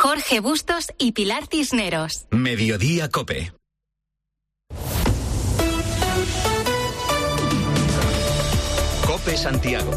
Jorge Bustos y Pilar Cisneros. Mediodía COPE. COPE Santiago.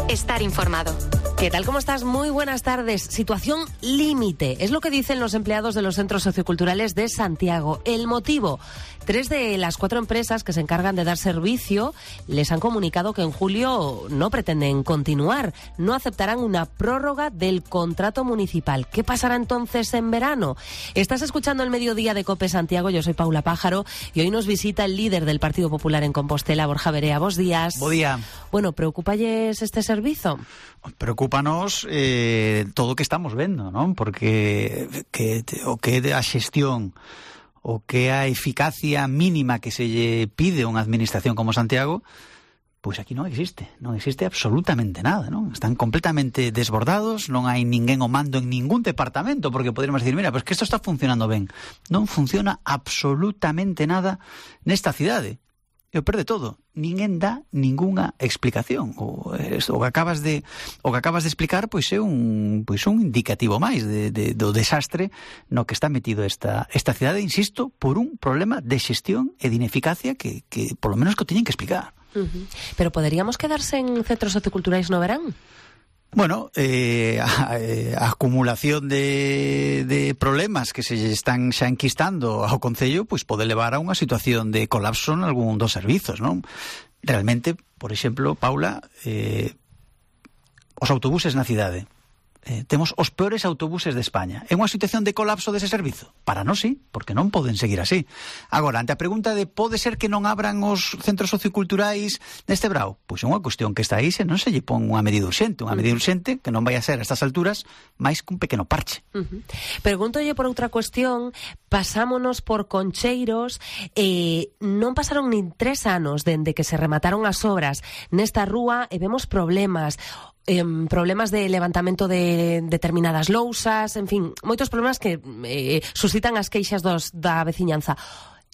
Estar informado. ¿Qué tal? ¿Cómo estás? Muy buenas tardes. Situación límite. Es lo que dicen los empleados de los centros socioculturales de Santiago. El motivo: 3 de las 4 empresas que se encargan de dar servicio les han comunicado que en julio no pretenden continuar. No aceptarán una prórroga del contrato municipal. ¿Qué pasará entonces en verano? Estás escuchando el Mediodía de COPE Santiago. Yo soy Paula Pájaro y hoy nos visita el líder del Partido Popular en Compostela, Borja Verea. Bos días. Bo día. Bueno, ¿preocúpalles este servizo? Preocúpanos todo o que estamos vendo, non? Porque o que a xestión, o que a eficacia mínima que se lle pide a unha administración como Santiago, pois aquí non existe absolutamente nada, non? Están completamente desbordados, non hai ninguén o mando en ningún departamento, porque poderíamos decir, mira, pois que isto está funcionando ben. Non funciona absolutamente nada nesta cidade. E o perde todo. Ninguén dá ningunha explicación. O que acabas de explicar pois é un indicativo máis do desastre no que está metido esta cidade, insisto, por un problema de xestión e de ineficacia que polo menos que o teñen que explicar. Pero poderíamos quedarse en centros socioculturais no verán? Bueno, a acumulación de problemas que se están xa enquistando ao Concello, pois pode levar a unha situación de colapso en algún dos servizos, non? Realmente, por exemplo, Paula, os autobuses na cidade. Temos os peores autobuses de España. É unha situación de colapso dese servizo? Para nós sí, porque non poden seguir así. Agora, ante a pregunta de pode ser que non abran os centros socioculturais neste brao? Pois é unha cuestión que está aí se non se lle pon unha medida urxente. Unha medida urxente que non vai a ser a estas alturas máis que un pequeno parche. Pregúntolle por outra cuestión. Pasámonos por Concheiros. Non pasaron nin 3 anos dende que se remataron as obras nesta rúa e vemos problemas de levantamento de determinadas lousas, en fin, moitos problemas que suscitan as queixas da veciñanza.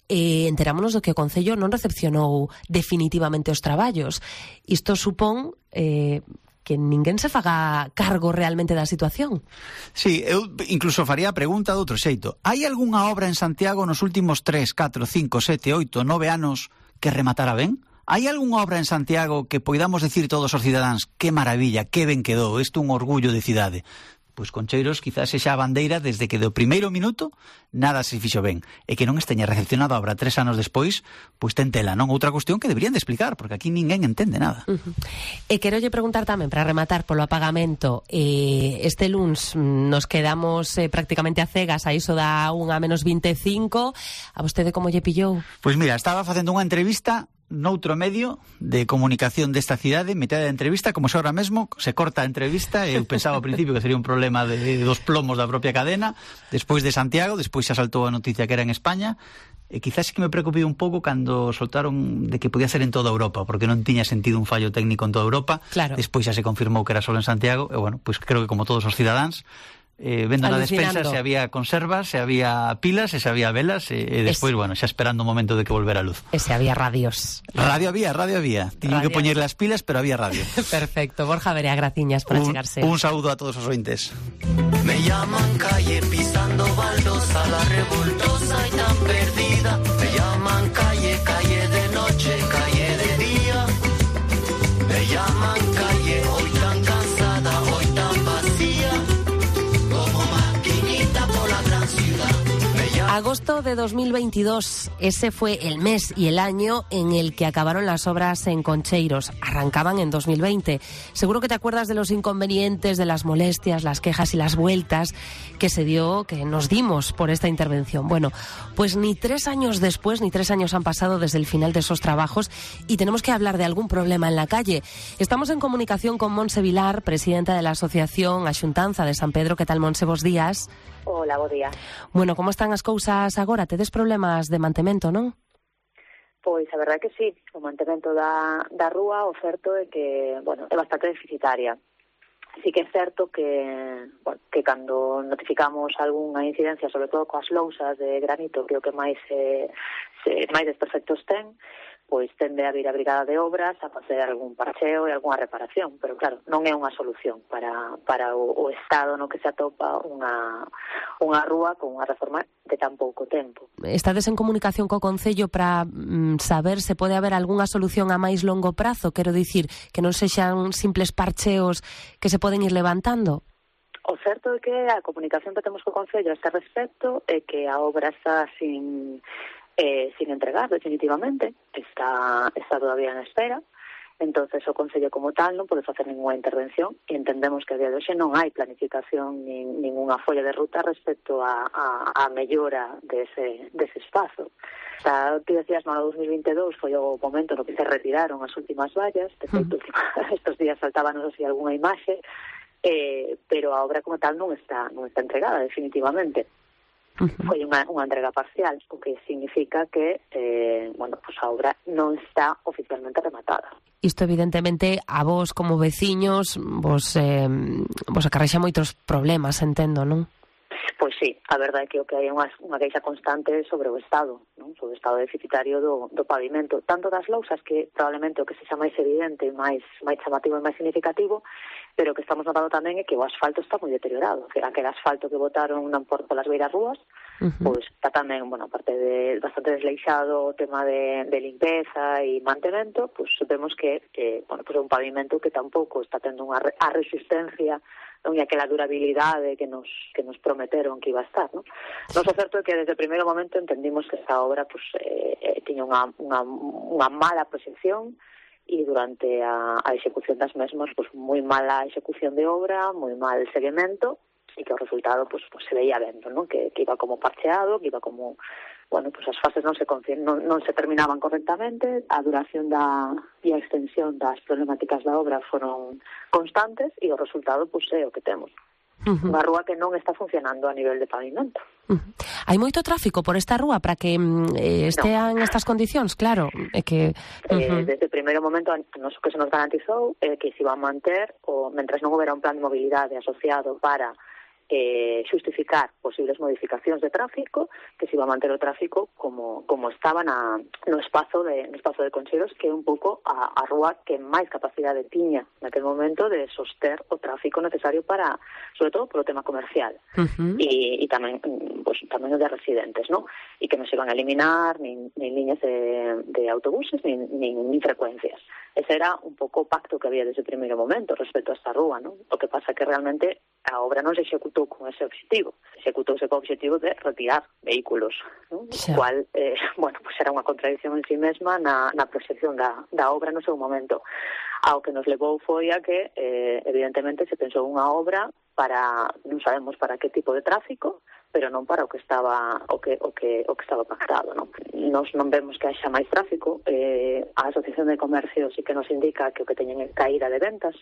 Enterámonos do que o Concello non recepcionou definitivamente os traballos. Isto supón que ninguén se faga cargo realmente da situación. Sí, eu incluso faría a pregunta de outro xeito. Hai algunha obra en Santiago nos últimos 3, 4, 5, 7, 8, 9 anos que rematara ben? Hai algunha obra en Santiago que poidamos decir todos os cidadáns que maravilla, que ben quedou, isto é un orgullo de cidade? Pois Concheiros quizás sexa a bandeira desde que do primeiro minuto nada se fixo ben. E que non esteña recepcionado a obra 3 anos despois, pois ten tela, non? Outra cuestión que deberían de explicar, porque aquí ninguén entende nada. E querolle preguntar tamén, para rematar polo apagamento, este luns nos quedamos prácticamente a cegas a iso da 1:25. A vostede como lle pillou? Pois mira, estaba facendo unha entrevista noutro medio de comunicación desta cidade, metade da entrevista, como se ahora mesmo se corta a entrevista, eu pensaba ao principio que sería un problema dos plomos da propia cadena, despois de Santiago, despois xa saltou a noticia que era en España, e quizás que me preocupei un pouco cando soltaron de que podía ser en toda Europa, porque non tiña sentido un fallo técnico en toda Europa. Claro. Despois xa se confirmou que era solo en Santiago, e bueno, pois creo que como todos os cidadáns, vendo na despensa se había conservas, se había pilas, se había velas e despois, bueno, xa esperando o momento de que volvera a luz. E se había radios. Radio había. Tiñen que poñer las pilas, pero había radio. Perfecto. Borja Verea, graciñas por achegarse. Un saúdo a todos os ointes. Me llaman calle pisando baldosa, la revoltosa y tan perdida. Me llaman calle, calle de noche, calle de día. Me llaman calle, hoy tan cansada, hoy tan vacía. Agosto de 2022, ese fue el mes y el año en el que acabaron las obras en Concheiros. Arrancaban en 2020. Seguro que te acuerdas de los inconvenientes, de las molestias, las quejas y las vueltas que nos dimos por esta intervención. Bueno, pues ni 3 años después, ni 3 años han pasado desde el final de esos trabajos y tenemos que hablar de algún problema en la calle. Estamos en comunicación con Montse Vilar, presidenta de la Asociación Axuntanza de San Pedro. ¿Qué tal, Montse? Bos días. Hola, bo día. Bueno, como están as cousas agora? Tedes problemas de mantemento, non? Pois a verdade é que sí, o mantemento da rúa, o certo é que, bueno, é bastante deficitaria. Sí que é certo que, bueno, que cando notificamos algunha incidencia, sobre todo coas lousas de granito, que é o que máis desperfectos ten, pois tende a vir a Brigada de Obras a facer algún parcheo e algunha reparación, pero claro, non é unha solución para o estado no que se atopa unha rúa con unha reforma de tan pouco tempo. Estades en comunicación co Concello para saber se pode haber algunha solución a máis longo prazo, quero dicir, que non sexan simples parcheos que se poden ir levantando? O certo é que a comunicación que temos co Concello a este respecto é que a obra está sin entregar definitivamente, está todavía en espera. Entonces o Concello como tal non pode facer ninguna intervención e entendemos que a día de hoxe non hai planificación nin ninguna folla de ruta respecto a mellora dese espazo. Ti decías, no 2022 foi o momento no que se retiraron as últimas vallas, de feito estos días saltábanos así algunha imaxe, pero a obra como tal non está entregada definitivamente. Foi unha entrega parcial, o que significa que a obra non está oficialmente rematada. Isto evidentemente a vos como veciños vos acarrexa moitos problemas, entendo, non? Pois sí, a verdade é que o que hai é unha queixa constante sobre o estado, non? Sobre o estado deficitario do pavimento, tanto das lousas, que probablemente o que sexa máis evidente, máis chamativo e máis significativo, pero o que estamos notando tamén é que o asfalto está moi deteriorado, que aquel asfalto que botaron polas beiras rúas, pois está tamén, aparte de bastante desleixado o tema de limpeza e mantemento, pois vemos que é un pavimento que tampouco está tendo a resistencia e aquela durabilidade que nos prometeron que iba a estar, non? Nos o certo é que desde o primeiro momento entendimos que esta obra tiña unha mala proxección e durante a execución das mesmas, moi mala execución de obra, moi mal seguimento, e que o resultado se veía vendo, non? Que iba como parcheado, que iba como as fases non se terminaban correctamente, a duración e a extensión das problemáticas da obra foron constantes e o resultado é o que temos. Unha rúa que non está funcionando a nivel de pavimento. Hai moito tráfico por esta rúa para que estean estas condicións, claro. Desde o primeiro momento, o que se nos garantizou é que se iba a manter, mentres non houbera un plan de mobilidade asociado para xustificar posibles modificacións de tráfico, que se iba a manter o tráfico como estaba no espazo de Concheiros, que é un pouco a rúa que máis capacidade tiña naquele momento de soster o tráfico necesario para, sobre todo, polo tema comercial e tamén o de residentes, non? E que non se iban a eliminar nin liñas de autobuses nin frecuencias. Ese era un pouco o pacto que había desde o primeiro momento respecto a esta rúa, non? O que pasa que realmente a obra non se executou con ese objetivo. Executouse con o objetivo de retirar vehículos, non? O cual, era unha contradicción en sí mesma na proxección da obra no seu momento. Ao que nos levou foi a que, evidentemente, se pensou unha obra para, non sabemos para que tipo de tráfico, pero non para o que estaba pactado, non? Nos non vemos que haxa máis tráfico. A Asociación de Comercio sí que nos indica que o que teñen é caída de ventas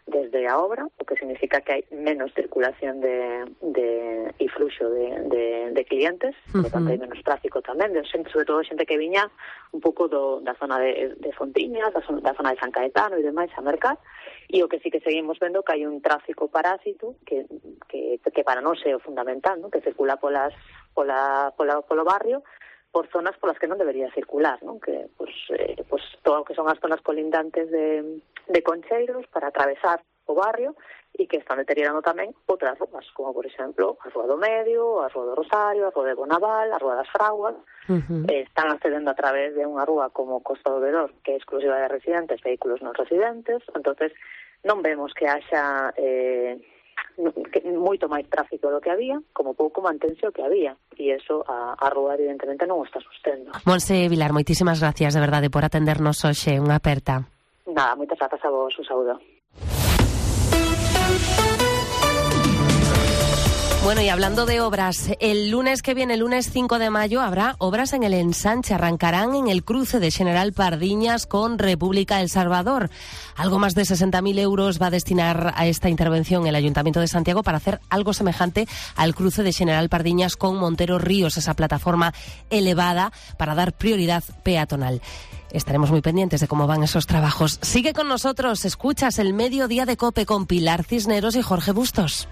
desde a obra, o que significa que hai menos circulación e fluxo de clientes, por tanto hai menos tráfico tamén, sobre todo xente que viña un pouco da zona de Fontiñas, da zona de San Caetano e demais a mercar, e o que sí que seguimos vendo que hai un tráfico parásito que para nós é o fundamental, non? Que circula polo barrio, por zonas polas que non debería circular, non? Que todo o que son as zonas colindantes de Concheiros para atravesar o barrio e que están deteriorando tamén outras rúas, como por exemplo a Rúa do Medio, a Rúa do Rosario, a Rúa de Bonaval, a Rúa das Fraguas. Están accedendo a través de unha rúa como Costa do Vedor, que é exclusiva de residentes, vehículos non residentes. Entonces non vemos que haxa moito máis tráfico do que había, como pouco mantense o que había, e iso a rúa evidentemente non o está sustendo. Monse Vilar, moitísimas gracias de verdade por atendernos hoxe, unha aperta. Nada, moitas grazas a vos, un saúdo. Bueno, y hablando de obras, el lunes que viene, el lunes 5 de mayo, habrá obras en el ensanche. Arrancarán en el cruce de General Pardiñas con República El Salvador. Algo más de 60.000 euros va a destinar a esta intervención el Ayuntamiento de Santiago para hacer algo semejante al cruce de General Pardiñas con Montero Ríos, esa plataforma elevada para dar prioridad peatonal. Estaremos muy pendientes de cómo van esos trabajos. Sigue con nosotros, escuchas el Mediodía de COPE con Pilar Cisneros y Jorge Bustos.